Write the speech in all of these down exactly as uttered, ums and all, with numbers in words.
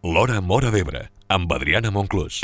L'Hora Móra d'Ebre, amb Adriana Monclús.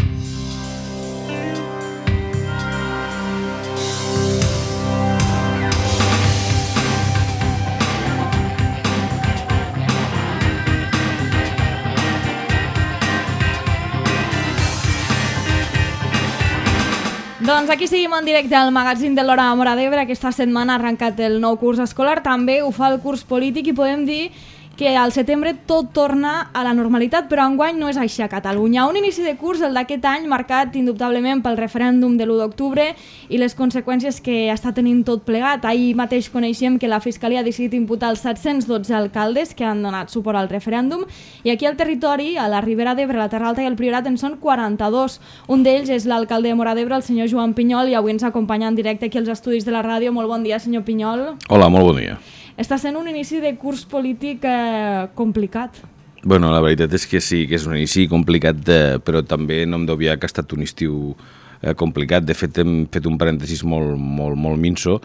Doncs aquí seguim en directe al magazín de l'Hora Móra d'Ebre. Aquesta setmana ha arrencat el nou curs escolar, també ho fa el curs polític i podem dir que al setembre tot torna a la normalitat, però enguany no és així a Catalunya. Un inici de curs, el d'aquest any, marcat indubtablement pel referèndum de l'u d'octubre i les conseqüències que està tenint tot plegat. Ahir mateix coneixem que la Fiscalia ha decidit imputar els set-cents dotze alcaldes que han donat suport al referèndum i aquí al territori, a la Ribera d'Ebre, la Terra Alta i el Priorat, en són quaranta-dos. Un d'ells és l'alcalde de Móra d'Ebre, el senyor Joan Pinyol, i avui ens acompanya en directe aquí als estudis de la ràdio. Molt bon dia, senyor Pinyol. Hola, molt bon dia. Està sent un inici de curs polític eh, complicat. Bueno, la veritat és que sí, que és un inici complicat, eh, però també no hem d'obviar que ha estat un estiu eh, complicat. De fet, hem fet un parèntesis molt, molt, molt minso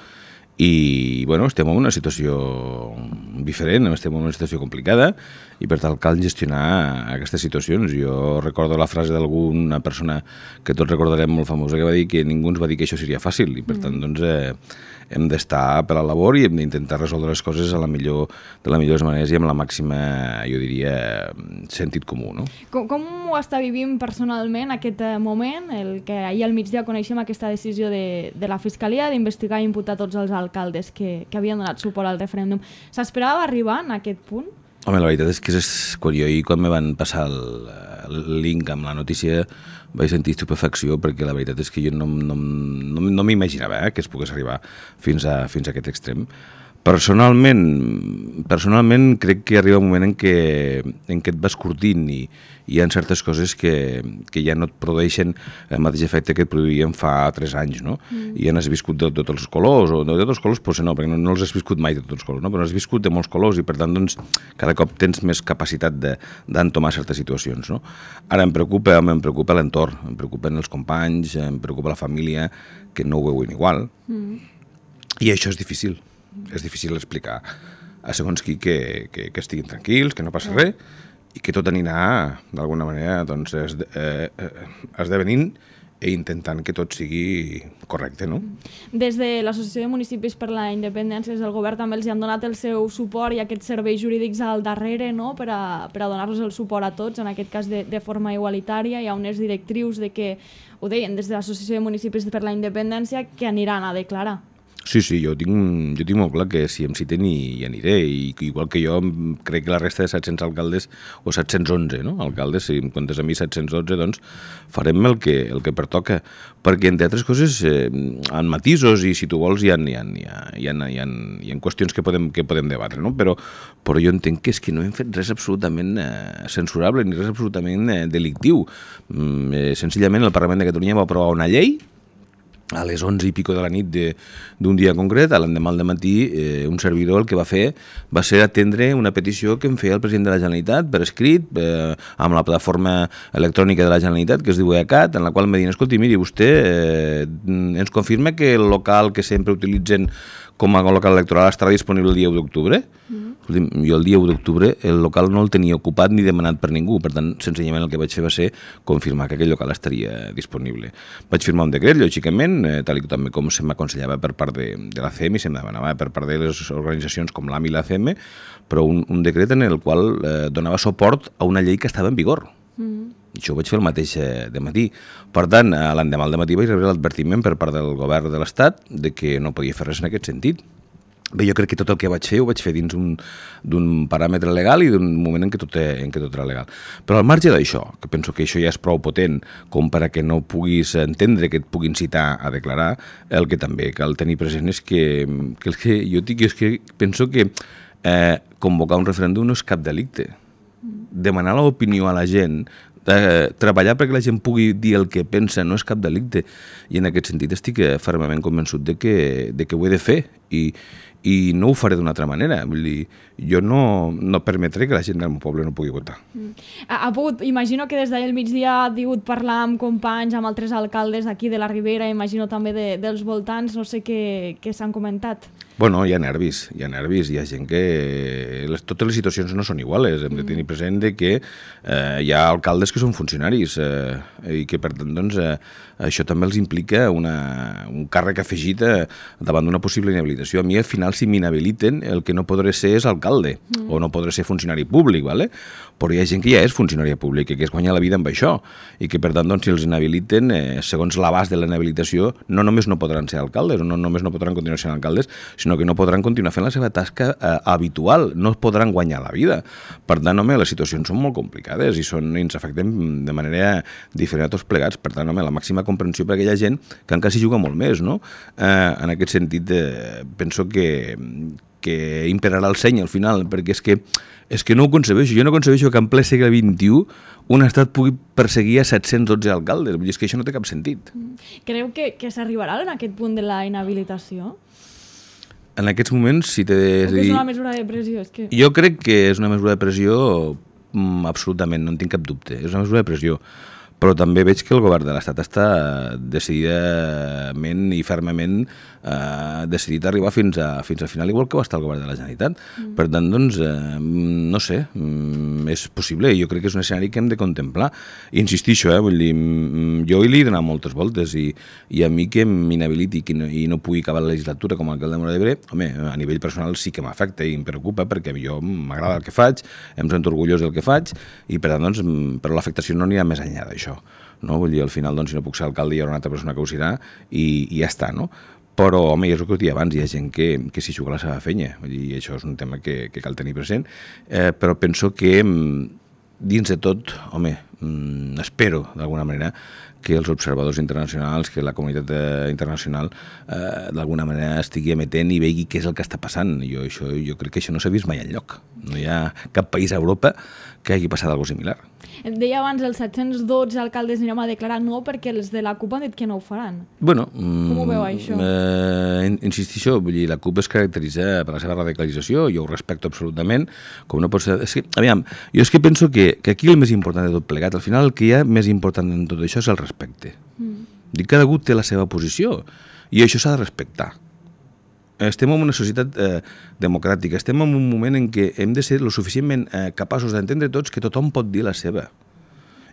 i bueno, estem en una situació diferent, estem en una situació complicada i per tant cal gestionar aquestes situacions. Jo recordo la frase d'alguna persona que tots recordarem molt famosa que va dir que ningú ens va dir que això seria fàcil i per tant doncs, eh, hem d'estar per la labor i hem d'intentar resoldre les coses a la millor, de la millor manera i amb la màxima, jo diria, sentit comú. No? Com, com ho està vivint personalment aquest moment, el que ahir al migdia coneixem aquesta decisió de, de la Fiscalia d'investigar i imputar tots els alcaldes que, que havien donat suport al referèndum? S'esperava arribar en aquest punt? Home, la veritat és que és, quan jo ahir, quan me van passar el, el link amb la notícia, vaig sentir estupefacció perquè la veritat és que jo no, no, no, no m'imaginava eh, que es pogués arribar fins a, fins a aquest extrem. Personalment, personalment crec que arriba un moment en què, en què et vas curtint i hi ha certes coses que, que ja no et produeixen el mateix efecte que et produïen fa tres anys, no? Mm. I ja n'has viscut de tots els colors, o de tots els colors potser no, perquè no, no els has viscut mai de tots els colors, no? Però has viscut de molts colors i per tant doncs, cada cop tens més capacitat d'entomar certes situacions, no? Ara em preocupa, home, em preocupa l'entorn, em preocupen els companys, em preocupa la família, que no ho veuen igual, mm. i això és difícil. És difícil explicar a segons qui que, que, que estiguin tranquils, que no passa res i que tot anirà d'alguna manera doncs, esde, eh, esdevenint i intentant que tot sigui correcte, no? Des de l'Associació de Municipis per la Independència, des del govern també els han donat el seu suport i aquests serveis jurídics al darrere, no? per a, per a donar-los el suport a tots, en aquest cas de, de forma igualitària. Hi ha unes directrius de que, ho deien, des de l'Associació de Municipis per la Independència, que aniran a declarar. Sí, sí, jo tinc, jo tinc molt clar que si em citen hi, hi aniré, i igual que jo crec que la resta de set-cents alcaldes, o set-cents onze, no? alcaldes, si em comptes a mi set-cents dotze, doncs farem el que, el que pertoca, perquè entre altres coses eh, en matisos i si tu vols hi ha, hi ha, hi ha, hi ha, hi ha, hi ha qüestions que podem, que podem debatre, no? però, però jo entenc que és que no hem fet res absolutament eh, censurable ni res absolutament eh, delictiu. Mm, eh, senzillament el Parlament de Catalunya va aprovar una llei a les onze i pico de la nit d'un dia concret, a l'endemà al dematí, eh, un servidor el que va fer va ser atendre una petició que em feia el president de la Generalitat per escrit, eh, amb la plataforma electrònica de la Generalitat, que es diu ECAT, en la qual em va dir, escolti, miri, vostè eh, ens confirma que el local que sempre utilitzen com a local electoral estarà disponible el dia u d'octubre? Mm-hmm. Jo el dia u d'octubre el local no el tenia ocupat ni demanat per ningú, per tant, senzillament el que vaig fer va ser confirmar que aquell local estaria disponible. Vaig firmar un decret, lògicament, eh, tal i també com se m'aconsellava per part de, de l'A C M i se em demanava per part de les organitzacions com l'A M i l'A C M, però un, un decret en el qual eh, donava suport a una llei que estava en vigor. Mm. I això ho vaig fer el mateix de matí. Per tant, l'endemà al dematí vaig rebre l'advertiment per part del govern de l'Estat de que no podia fer res en aquest sentit. Bé, jo crec que tot el que vaig fer ho vaig fer dins d'un paràmetre legal i d'un moment en què, tot, en què tot era legal. Però al marge d'això, que penso que això ja és prou potent com per a que no puguis entendre que et puguin citar a declarar, el que també cal tenir present és que, que el que jo dic és que penso que eh, convocar un referèndum no és cap delicte. Demanar l'opinió a la gent, de treballar perquè la gent pugui dir el que pensa no és cap delicte, i en aquest sentit estic fermament convençut de que, de que ho he de fer i, i no ho faré d'una altra manera. Vull dir, jo no, no permetré que la gent del meu poble no pugui votar. Mm. Ha, ha pogut, imagino que des d'ahir al migdia ha pogut parlar amb companys, amb altres alcaldes d'aquí de la Ribera, imagino també de, dels voltants, no sé què, què s'han comentat. Bueno, hi ha nervis, hi ha nervis, hi ha gent que... Les, totes les situacions no són iguales. Hem de tenir present de que eh, hi ha alcaldes que són funcionaris eh, i que, per tant, doncs, eh, això també els implica una, un càrrec afegit eh, davant d'una possible inhabilitació. A mi, al final, si m'inhabiliten, el que no podré ser és alcalde mm. o no podré ser funcionari públic, ¿vale? Però hi ha gent que ja és funcionària pública, que es guanya la vida amb això i que, per tant, doncs, si els inhabiliten, eh, segons l'abast de la inhabilitació, no només no podran ser alcaldes, no només no podran continuar sent alcaldes, sinó que no podran continuar fent la seva tasca eh, habitual, no podran guanyar la vida. Per tant, home, les situacions són molt complicades i, són, i ens afecten de manera diferent a tots plegats. Per tant, home, la màxima comprensió per a aquella gent que encara s'hi juga molt més, no? Eh, en aquest sentit, eh, penso que, que imperarà el seny al final, perquè és que, és que no ho concebeixo. Jo no concebeixo que en ple segle vint-i-u un estat pugui perseguir a set-cents dotze alcaldes. Vull dir, és que això no té cap sentit. Creu que, que s'arribarà en aquest punt de la inhabilitació? En aquests moments, si té... O que és una mesura de pressió? És que... Jo crec que és una mesura de pressió mm, absolutament, no en tinc cap dubte. És una mesura de pressió. Però també veig que el govern de l'Estat està decididament i fermament eh, decidit a arribar fins a, fins al final, igual que va estar el govern de la Generalitat. Mm. Per tant, doncs, eh, no sé, mm, és possible. Jo crec que és un escenari que hem de contemplar. Insistisco, eh, vull dir, mm, jo hi he donat moltes voltes i, i a mi que m'inhabiliti i no, i no pugui acabar la legislatura com a alcalde de Móra d'Ebre, home, a nivell personal sí que m'afecta i em preocupa perquè a mi jo m'agrada el que faig, em sento orgullós del que faig i per tant, doncs, però l'afectació no anirà més enllà d'això. No? Vull dir, al final, doncs, si no puc ser alcalde hi haurà una altra persona que ho serà i, i ja està, no? Però, home, és el que us deia abans, hi ha gent que, que s'hi juga la seva fenya, vull dir, i això és un tema que, que cal tenir present, eh, però penso que dins de tot, home, espero, d'alguna manera, que els observadors internacionals, que la comunitat internacional eh, d'alguna manera estigui emetent i vegi què és el que està passant. Jo, això, jo crec que això no s'ha vist mai enlloc. No hi ha cap país a Europa que hagi passat alguna cosa similar. Et deia abans, els set-cents dotze alcaldes anirem a declarar no perquè els de la CUP han dit que no ho faran. Bueno, com ho veu, això? Eh, insistixo, vull dir, la CUP es caracteritza per la seva radicalització, jo ho respecto absolutament, com no pot ser... És que, aviam, jo és que penso que, que aquí el més important de tot plegat, al final el que hi ha més important en tot això és el respecte. Mm. Dic, cada algú té la seva posició i això s'ha de respectar. Estem en una societat eh, democràtica, estem en un moment en què hem de ser lo suficientment eh, capaços d'entendre tots que tothom pot dir la seva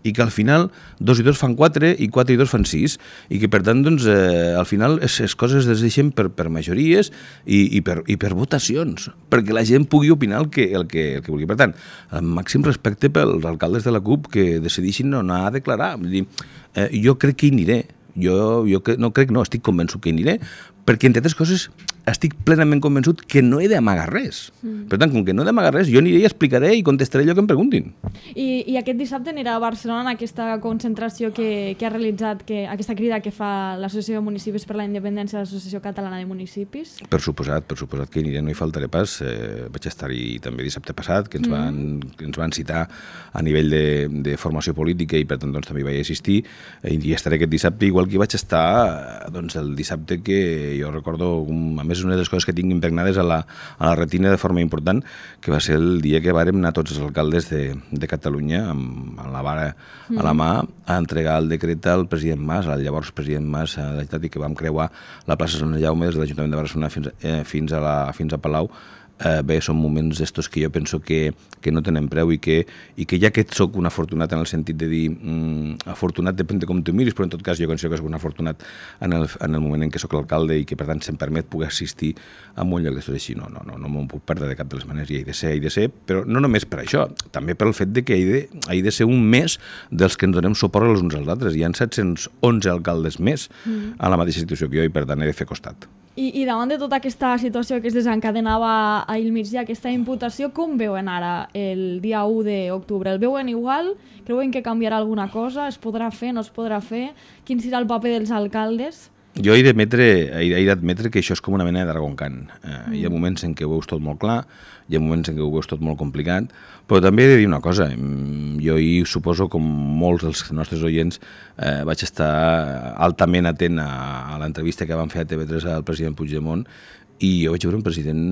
i que al final dos i dos fan quatre i quatre i dos fan sis i que per tant doncs, eh, al final les coses es deixen per, per majories i, i, per, i per votacions perquè la gent pugui opinar el que, el que, el que vulgui. Per tant, el màxim respecte pels alcaldes de la CUP que decidixin no anar a declarar. Vull dir, eh, jo crec que hi aniré. Jo, jo no crec, no, estic convençut que hi aniré perquè, entre altres coses, estic plenament convençut que no he d'amagar res. Mm. Per tant, com que no he d'amagar res, jo aniré i explicaré i contestaré allò que em preguntin. I, i aquest dissabte anirà a Barcelona en aquesta concentració que, que ha realitzat, que, aquesta crida que fa l'Associació de Municipis per la Independència, l'Associació Catalana de Municipis? Per suposat, per suposat que hi aniré, no hi faltaré pas. Eh, vaig estar-hi també dissabte passat, que ens, mm. van, que ens van citar a nivell de, de formació política i per tant doncs, també hi vaig assistir i hi estaré aquest dissabte, igual que hi vaig estar doncs, el dissabte que jo recordo, a més, una de les coses que tinc impregnades a la, a la retina de forma important, que va ser el dia que vàrem anar tots els alcaldes de, de Catalunya amb, amb la vara mm. a la mà a entregar el decret al president Mas, al llavors president Mas, a la Generalitat, i que vam creuar la plaça Sant Jaume des de l'Ajuntament de Barcelona fins, eh, fins, a la, fins a Palau. Eh, bé, són moments d'estos que jo penso que, que no tenen preu i que, i que ja que soc un afortunat en el sentit de dir mm, afortunat depèn de com tu miris, però en tot cas jo considero que soc un afortunat en el, en el moment en què soc l'alcalde i que per tant se'm permet poder assistir a un lloc d'estos així. No, no, no, no m'ho puc perdre de cap de les maneres i hi de ser, hi de ser, però no només per això, també pel fet de que hi de, hi de ser un més dels que ens donem suport els uns als altres. Hi ha set-cents onze alcaldes més mm. a la mateixa situació que jo i per tant he de fer costat. I, I davant de tota aquesta situació que es desencadenava ahir al migdia, aquesta imputació, com veuen ara el dia u d'octubre? El veuen igual? Creuen que canviarà alguna cosa? Es podrà fer? No es podrà fer? Quin serà el paper dels alcaldes? Jo he d'admetre que això és com una mena de Dragon Khan. Eh, mm. Hi ha moments en què ho veus tot molt clar, hi ha moments en què ho veus tot molt complicat, però també he de dir una cosa. Jo hi suposo, com molts dels nostres oients, eh, vaig estar altament atent a, a l'entrevista que van fer a T V tres al president Puigdemont i jo vaig veure un president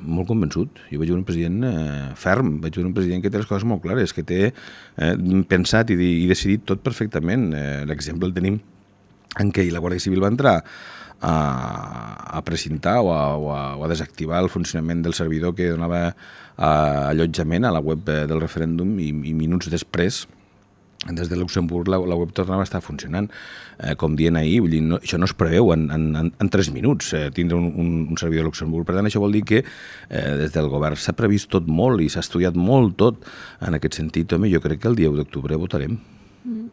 molt convençut, jo vaig veure un president eh, ferm, vaig veure un president que té les coses molt clares, que té eh, pensat i, i decidit tot perfectament. Eh, L'exemple el tenim en què la Guàrdia Civil va entrar a, a precintar o a, o, a, o a desactivar el funcionament del servidor que donava eh, allotjament a la web del referèndum i, i minuts després des de Luxemburg la, la web tornava a estar funcionant, eh, com dient ahir, vull dir, no, això no es preveu en, en, en tres minuts, eh, tindre un, un, un servidor a Luxemburg. Per tant, això vol dir que eh, des del govern s'ha previst tot molt i s'ha estudiat molt tot en aquest sentit. Home, jo crec que el dia u d'octubre votarem. Mm.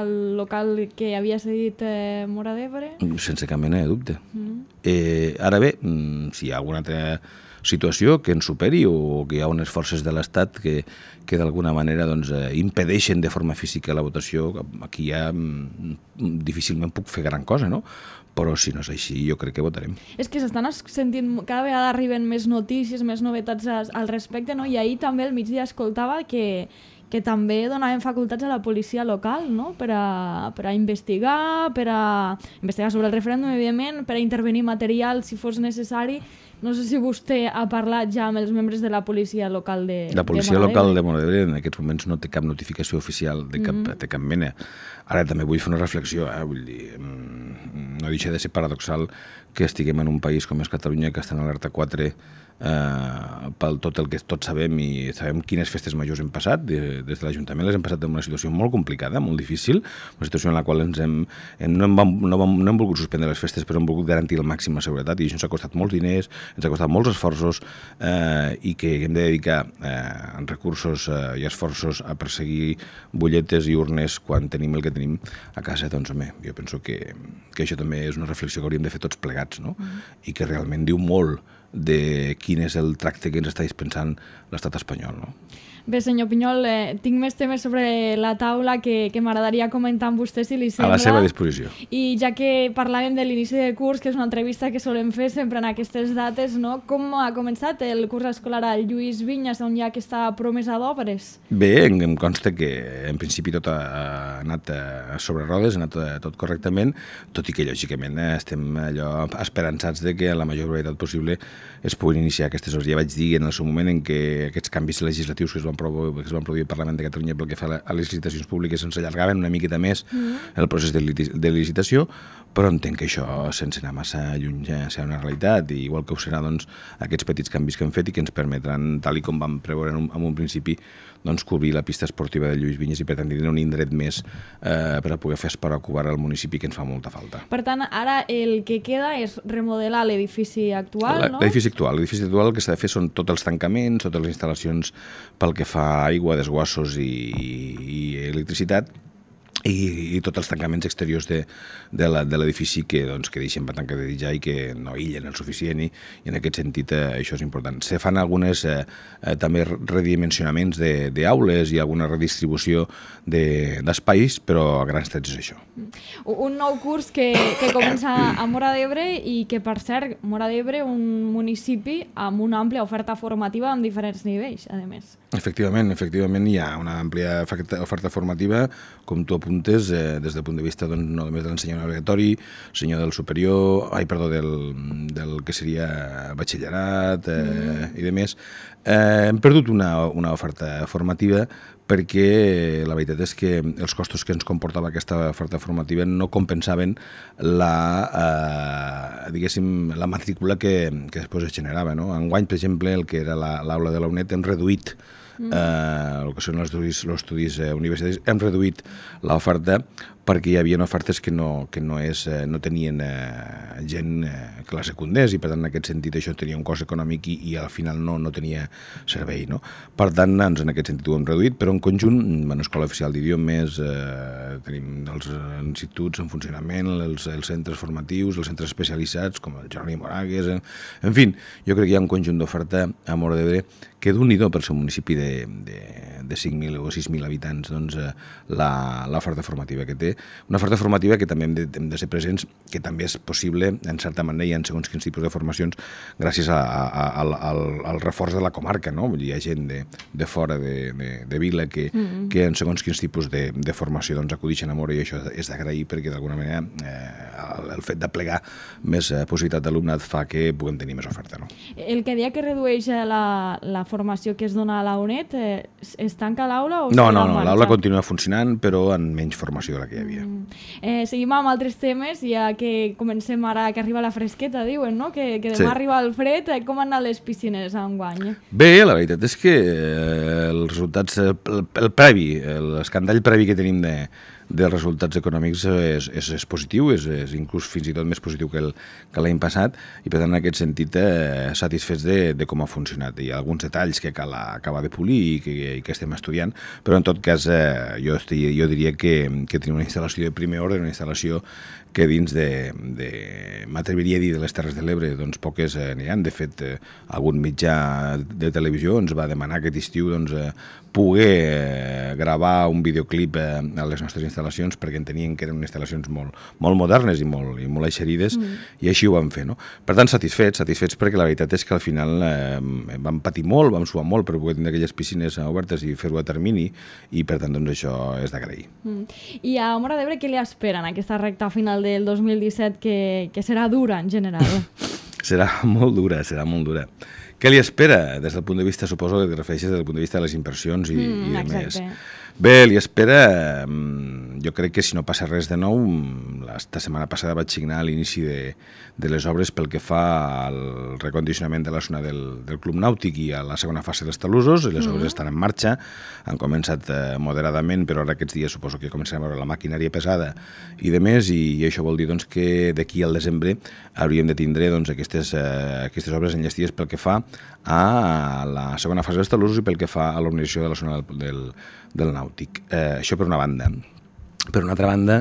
El local que havia cedit eh, Móra d'Ebre? Sense cap mena de dubte. Mm. Eh, ara bé, si hi ha alguna altra situació que ens superi o que hi ha unes forces de l'Estat que, que d'alguna manera doncs, eh, impedeixen de forma física la votació, aquí ja mm, difícilment puc fer gran cosa, no? Però si no és així, jo crec que votarem. És que s'estan sentint, cada vegada arriben més notícies, més novetats al respecte, no? I ahir també al migdia escoltava que, que també donaven facultats a la policia local, no? Per a, per a investigar, per a investigar sobre el referèndum, evidentment, per a intervenir material si fos necessari. No sé si vostè ha parlat ja amb els membres de la policia local de La policia de local de Móra d'Ebre en aquests moments no té cap notificació oficial de cap, mm-hmm. de cap mena. Ara també vull fer una reflexió, eh? Vull dir, no deixa de ser paradoxal que estiguem en un país com és Catalunya, que està en alerta quatre eh, pel tot el que tots sabem i sabem quines festes majors hem passat. De, des de l'Ajuntament les hem passat en una situació molt complicada, molt difícil, una situació en la qual ens hem, hem, no, hem, no, hem, no hem volgut suspendre les festes, però hem volgut garantir el màxim la seguretat i això ens ha costat molts diners, ens ha costat molts esforços eh, i que hem de dedicar eh, recursos eh, i esforços a perseguir butlletes i urnes quan tenim el que tenim a casa. Doncs, home, jo penso que, que això també és una reflexió que hauríem de fer tots plegats, no? Mm. I que realment diu molt de quin és el tracte que ens està dispensant l'estat espanyol, no? Bé, senyor Pinyol, eh, tinc més temes sobre la taula que, que m'agradaria comentar amb vostè, si li sembla. A la seva disposició. I ja que parlàvem de l'inici de curs, que és una entrevista que solem fer sempre en aquestes dates, no? Com ha començat el curs escolar al Lluís Vinyes, on hi ha aquesta promesa d'obres? Bé, em, em consta que en principi tot ha, ha anat sobre rodes, ha anat tot correctament, tot i que lògicament estem allò esperançats de que a la major brevetat possible es puguin iniciar aquestes obres. Ja vaig dir en el seu moment en què aquests canvis legislatius que es van que es van produir al Parlament de Catalunya pel que fa a les licitacions públiques ens allargaven una miqueta més mm. el procés de, de licitació, però entenc que això, sense anar massa lluny, ja serà una realitat, i igual que ho serà doncs, aquests petits canvis que hem fet i que ens permetran, tal i com vam preveure en un, en un principi, doncs, cobrir la pista esportiva de Lluís Vinyes i per tant tindre un indret més eh, per a poder fer esport ocubar al municipi, que ens fa molta falta. Per tant, ara el que queda és remodelar l'edifici actual, no? L'edifici actual. L'edifici actual el que s'ha de fer són tots els tancaments, totes les instal·lacions pel que fa a aigua, desguassos i, i electricitat, i, i tots els tancaments exteriors de, de l'edifici que, doncs, que deixen per tancar de ja i que no aïllen el suficient, i, i en aquest sentit eh, això és important. Se fan algunes eh, eh, també redimensionaments d'aules de, i alguna redistribució d'espais, de, però a grans trets és això. Un nou curs que, que comença a Móra d'Ebre i que, per cert, Móra d'Ebre, un municipi amb una àmplia oferta formativa amb diferents nivells, a més. Efectivament, efectivament hi ha una àmplia oferta formativa, com tu apuntes, eh, des del punt de vista doncs, no només de l'ensenyament obligatori, sinó del superior, ai, perdó, del, del que seria batxillerat eh, mm. i de més. Eh, hem perdut una, una oferta formativa perquè la veritat és que els costos que ens comportava aquesta oferta formativa no compensaven la, eh, diguéssim, la matrícula que, que després es generava, no? Enguany, per exemple, el que era l'aula de la UNED hem reduït Mm. Eh, el que són els estudis, els estudis eh, universitaris, hem reduït l'oferta perquè hi havia ofertes que no, que no, és, eh, no tenien eh, gent eh, que la secundés, i per tant en aquest sentit això tenia un cost econòmic i, i al final no, no tenia servei, no? Per tant, ens, en aquest sentit ho hem reduït, però en conjunt, en Escola Oficial d'Idiomes, eh, tenim els instituts en funcionament, els, els centres formatius, els centres especialitzats, com el Jeroni Moragues, en, en fi, jo crec que hi ha un conjunt d'oferta a Móra d'Ebre que d'un-i-do per ser un municipi de, de, de cinc mil o sis mil habitants, doncs, eh, la, l'oferta formativa que té. Una oferta formativa que també hem de, hem de ser presents, que també és possible, en certa manera, hi ha segons quins tipus de formacions, gràcies a, a, a, al, al, al reforç de la comarca, no? Vull dir, hi ha gent de, de fora de, de, de vila que, mm-hmm. que en segons quins tipus de, de formació doncs, acudixen a Móra, i això és d'agrair perquè d'alguna manera eh, el, el fet de plegar més eh, possibilitat d'alumnat fa que puguem tenir més oferta. No? El que dia que redueix la, la formació que es dona a la U N E D, eh, es tanca l'aula? O no, no, no, l'aula continua funcionant, però amb menys formació de la que hi havia. Mm. Eh, seguim amb altres temes, ja que comencem ara, que arriba la fresqueta, diuen, no? Que, que demà sí. arriba el fred. Com han anat les piscines enguany? Bé, la veritat és que eh, els resultats, el, el previ, l'escandall previ que tenim de, dels resultats econòmics és, és, és positiu, és, és inclús fins i tot més positiu que, el, que l'any passat, i per tant en aquest sentit eh, satisfets de, de com ha funcionat. Hi ha alguns detalls que cal acabar de polir i que, i que estem estudiant, però en tot cas eh, jo, estic, jo diria que, que tenim una instal·lació de primer ordre, una instal·lació que dins de, de m'atreviria a dir de les Terres de l'Ebre, doncs poques eh, n'hi ha. De fet, eh, algun mitjà de televisió ens va demanar aquest estiu doncs, eh, poder eh, gravar un videoclip eh, a les nostres instal·lacions, perquè entenien que eren instal·lacions molt, molt modernes i molt, i molt eixerides, mm. i així ho vam fer. No? Per tant, satisfets, satisfets perquè la veritat és que al final eh, vam patir molt, vam suar molt per poder tenir aquelles piscines obertes i fer-ho a termini, i per tant doncs, això és d'agrair. Mm. I a Móra d'Ebre què li esperen aquesta recta final del dos mil disset, que, que serà dura en general? Serà molt dura, serà molt dura. Què li espera des del punt de vista, suposo que et refereixes des del punt de vista de les inversions i, mm, i de més? Bé, li espera, jo crec que si no passa res de nou, la setmana passada vaig signar l'inici de, de les obres pel que fa al recondicionament de la zona del, del Club Nàutic i a la segona fase dels talussos. Les obres mm. estan en marxa, han començat eh, moderadament, però ara aquests dies suposo que començarem a veure la maquinària pesada i de més, i, i això vol dir doncs, que d'aquí al desembre hauríem de tindre doncs, aquestes, eh, aquestes obres enllestides pel que fa a la segona fase dels talussos i pel que fa a l'organització de la zona del, del, del nàutic. Eh, això per una banda. Per una altra banda,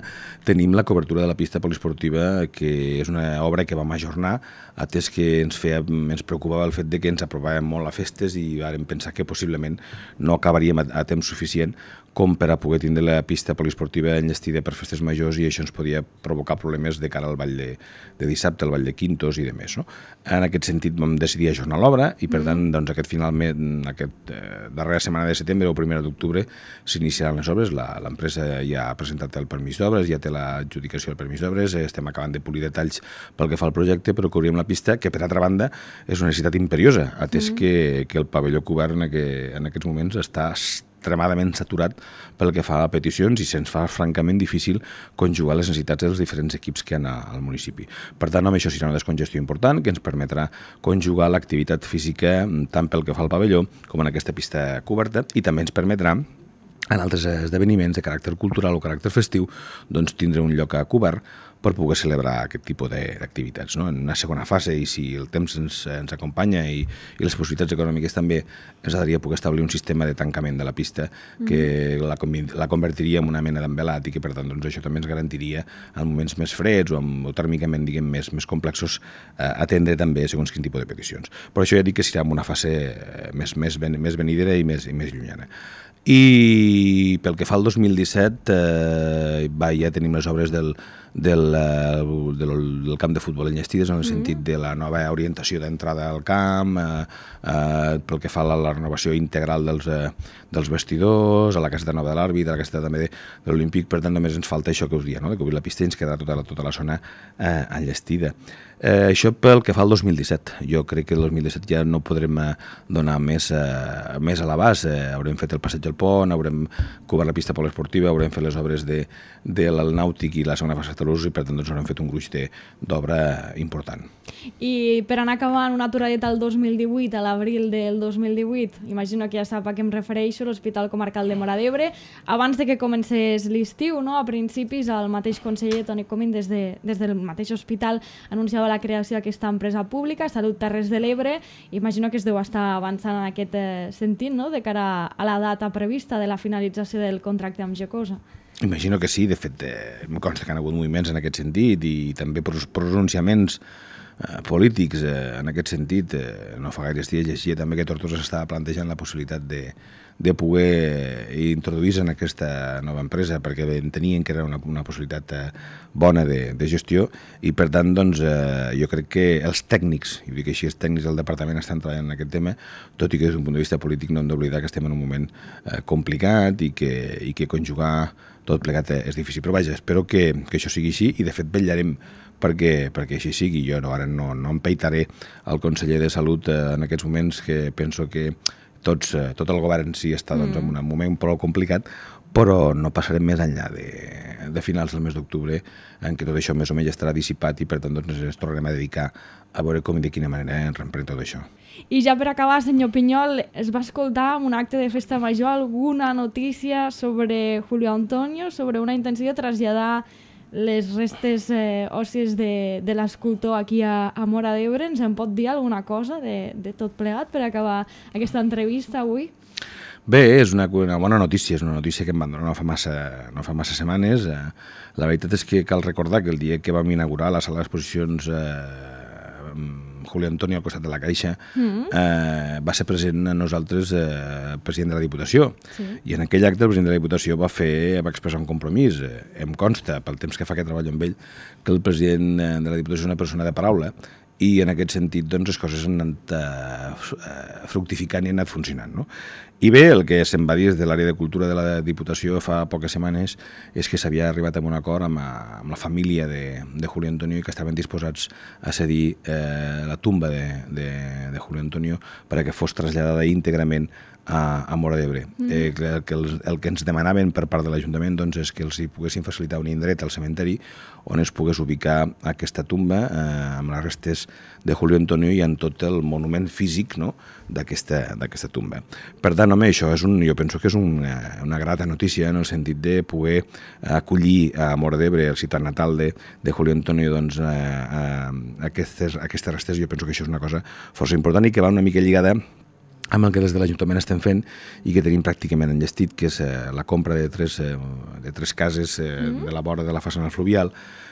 tenim la cobertura de la pista poliesportiva, que és una obra que vam ajornar, atès que ens, feia, ens preocupava el fet de que ens aprovàvem molt a festes i vam pensar que possiblement no acabaríem a, a temps suficient com per a poder tindre la pista poliesportiva enllestida per festes majors, i això ens podia provocar problemes de cara al ball de, de dissabte, al ball de Quintos i de més. No? En aquest sentit vam decidir ajornar l'obra i per tant doncs, aquest finalment, aquest eh, darrera setmana de setembre o primera d'octubre s'iniciaran les obres. L'empresa ja ha presentat el permís d'obres, ja té l'adjudicació del permís d'obres, estem acabant de polir detalls pel que fa al projecte, però cobrim la pista, que per altra banda és una necessitat imperiosa, atès mm. que, que el pavelló cobert en, aqu en aquests moments està extremadament saturat pel que fa a peticions i se'ns fa francament difícil conjugar les necessitats dels diferents equips que hi ha al municipi. Per tant, amb això serà una descongestió important que ens permetrà conjugar l'activitat física tant pel que fa al pavelló com en aquesta pista coberta, i també ens permetrà en altres esdeveniments de caràcter cultural o caràcter festiu doncs tindre un lloc a cobert per poder celebrar aquest tipus d'activitats. No? En una segona fase, i si el temps ens, ens acompanya i, i les possibilitats econòmiques també, ens agradaria poder establir un sistema de tancament de la pista que mm. la, la convertiria en una mena d'envelat i que per tant doncs, això també ens garantiria en moments més freds o, amb, o tèrmicament diguem, més, més complexos eh, atendre també segons quin tipus de peticions. Però això ja dic que serà en una fase més, més, ben, més venidera i més, i més llunyana. I pel que fa al dos mil disset, eh, va, ja tenim les obres del, del, del, del camp de futbol enllestides, en el sentit de la nova orientació d'entrada al camp, eh, eh, pel que fa a la, la renovació integral dels, eh, dels vestidors, a la caseta nova de l'àrbit, a la caseta també de, de l'Olímpic. Per tant, només ens falta això que us dia, no? de cobrir la pista i ens quedarà tota la, tota la zona eh, enllestida. Eh, això pel que fa al dos mil disset. Jo crec que el dos mil disset ja no podrem eh, donar més, eh, més a l'abast. Eh, haurem fet el passeig del pont, haurem cobert la pista poliesportiva, haurem fet les obres de, de l'Nàutic i la segona fase de Talús, i per tant doncs, haurem fet un gruix d'obra important. I per anar acabant una aturadeta al dos mil divuit, a l'abril del dos mil divuit, imagino que ja sap a què em refereixo, l'Hospital Comarcal de Móra d'Ebre. Abans de que comencés l'estiu, no? A principis, el mateix conseller Toni Comín, des, de, des del mateix hospital, anunciava la creació d'aquesta empresa pública, Salut Terres de l'Ebre. Imagino que es deu estar avançant en aquest eh, sentit, no? De cara a la data prevista de la finalització del contracte amb Gecosa. Imagino que sí, de fet, eh, em consta que han hagut moviments en aquest sentit i també pronunciaments eh, polítics eh, en aquest sentit. Eh, no fa gaires dies llegia també que Tortosa s'estava plantejant la possibilitat de, de poder introduir-se en aquesta nova empresa perquè entenien que era una, una possibilitat eh, bona de, de gestió i per tant doncs, eh, jo crec que els tècnics, i dic així, els tècnics del departament estan treballant en aquest tema, tot i que des d'un punt de vista polític no hem d'oblidar que estem en un moment eh, complicat i que, i que conjugar tot plegat és difícil. Però vaja, espero que, que això sigui així i de fet vetllarem perquè, perquè així sigui. Jo no, ara no, no empeitaré el conseller de Salut eh, en aquests moments que penso que tots, eh, tot el govern sí està doncs, en un moment prou complicat, però no passarem més enllà de, de finals del mes d'octubre en què tot això més o menys estarà dissipat i per tant doncs, ens tornarem a dedicar a veure com i de quina manera ens reemprèn tot això. I ja per acabar, senyor Pinyol, es va escoltar en un acte de festa major alguna notícia sobre Julio Antonio, sobre una intenció de traslladar les restes eh, òssies de, de l'escultor aquí a, a Móra d'Ebre. Ens en pot dir alguna cosa de, de tot plegat per acabar aquesta entrevista avui? Bé, és una, una bona notícia, és una notícia que em van donar no fa massa, no fa massa setmanes. Eh, la veritat és que cal recordar que el dia que vam inaugurar la sala d'exposicions eh, Julio Antonio al costat de la Caixa mm-hmm. eh, va ser present a nosaltres eh, president de la Diputació sí. I en aquell acte el president de la Diputació va fer va expressar un compromís. Eh, em consta, pel temps que fa que treballo amb ell, que el president de la Diputació és una persona de paraula i en aquest sentit doncs, les coses han anat eh, fructificant i han anat funcionant. No? I bé, el que se'n va dir des de l'àrea de cultura de la Diputació fa poques setmanes és que s'havia arribat a un acord amb, amb la família de, de Julio Antonio i que estaven disposats a cedir eh, la tumba de, de, de Julio Antonio perquè fos traslladada íntegrament a, a Móra d'Ebre. Mm. Eh, el, que els, el que ens demanaven per part de l'Ajuntament doncs, és que els hi poguessin facilitar un indret al cementeri on es pogués ubicar aquesta tumba eh, amb les restes de Julio Antonio i en tot el monument físic no, d'aquesta tumba. Per tant, home, això és un, jo penso que és una, una grata notícia en el sentit de poder acollir a Móra d'Ebre, el ciutat natal de, de Julio Antonio, doncs, a, a, a aquestes, a aquestes restes. Jo penso que això és una cosa força important i que va una mica lligada amb el que des de l'Ajuntament estem fent i que tenim pràcticament enllestit, que és eh, la compra de tres, eh, de tres cases eh, mm. de la vora de la façana fluvial,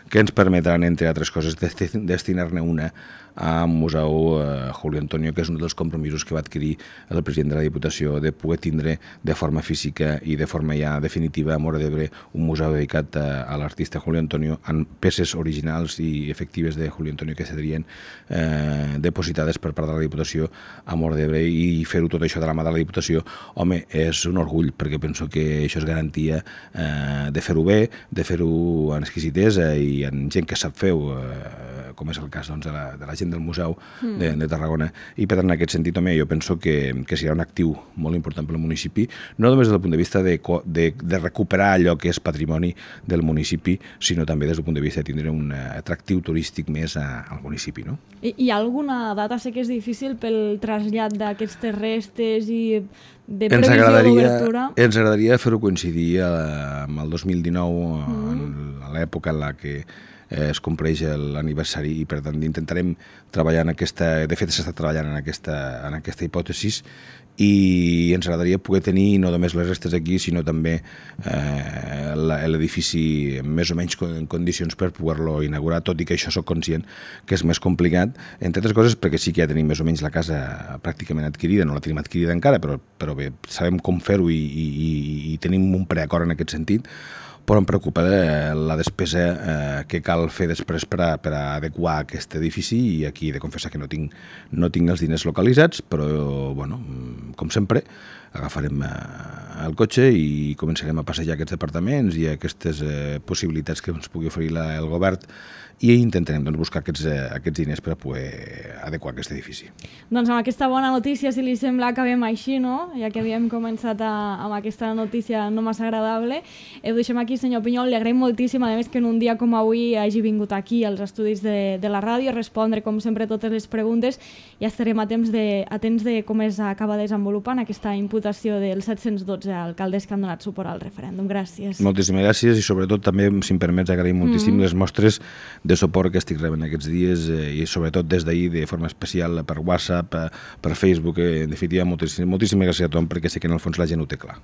que ens permetran, entre altres coses, destinar-ne una al Museu eh, Julio Antonio, que és un dels compromisos que va adquirir el president de la Diputació de poder tindre de forma física i de forma ja definitiva a Móra d'Ebre un museu dedicat a, a l'artista Julio Antonio amb peces originals i efectives de Julio Antonio que serien eh, depositades per part de la Diputació a Móra d'Ebre i fer-ho tot això de la mà de la Diputació, home, és un orgull, perquè penso que això és garantia eh, de fer-ho bé, de fer-ho en exquisitesa i en gent que sap fer-ho, eh, com és el cas doncs, de, la, de la gent del Museu mm. de, de Tarragona. I per tant, en aquest sentit, home, jo penso que, que serà un actiu molt important pel municipi, no només des del punt de vista de, de, de recuperar allò que és patrimoni del municipi, sinó també des del punt de vista de tindre un atractiu turístic més a, al municipi. No? I, hi ha alguna data? Sé que és difícil pel trasllat d'aquestes restes i de previsió d'obertura. Ens agradaria fer-ho coincidir amb el dos mil dinou, mm. a l'època en la que es compleix l'aniversari i per tant intentarem treballar en aquesta, de fet s'està treballant en aquesta, en aquesta hipòtesis i ens agradaria poder tenir no només les restes aquí sinó també eh, l'edifici més o menys en condicions per poder-lo inaugurar, tot i que això soc conscient que és més complicat, entre altres coses perquè sí que ja tenim més o menys la casa pràcticament adquirida, no la tenim adquirida encara però, però bé, sabem com fer-ho i, i, i tenim un preacord en aquest sentit, però em preocupa la despesa eh, que cal fer després per a, per a adequar aquest edifici i aquí he de confessar que no tinc, no tinc els diners localitzats, però, bueno, com sempre, agafarem eh, el cotxe i començarem a passejar aquests departaments i aquestes eh, possibilitats que ens pugui oferir la, el govern i intentarem doncs, buscar aquests, eh, aquests diners per a poder adequar aquest edifici. Doncs amb aquesta bona notícia, si li sembla, acabem així, no? Ja que havíem començat a, amb aquesta notícia no massa agradable. Eh, ho deixem aquí, senyor Pinyol. Li agraïm moltíssim, a més, que en un dia com avui hagi vingut aquí als estudis de, de la ràdio a respondre, com sempre, totes les preguntes. Ja estarem atents de, atents de com es acaba desenvolupant aquesta imputació dels set-cents dotze alcaldes que han donat suport al referèndum. Gràcies. Moltíssimes gràcies i sobretot també, si em permets, agraïm moltíssim mm. les mostres de suport que estic rebent aquests dies eh, i sobretot des d'ahir de forma especial per WhatsApp, per, per Facebook, eh, en definitiva moltíssimes, moltíssimes gràcies a tothom perquè sé que en el fons la gent ho té clar.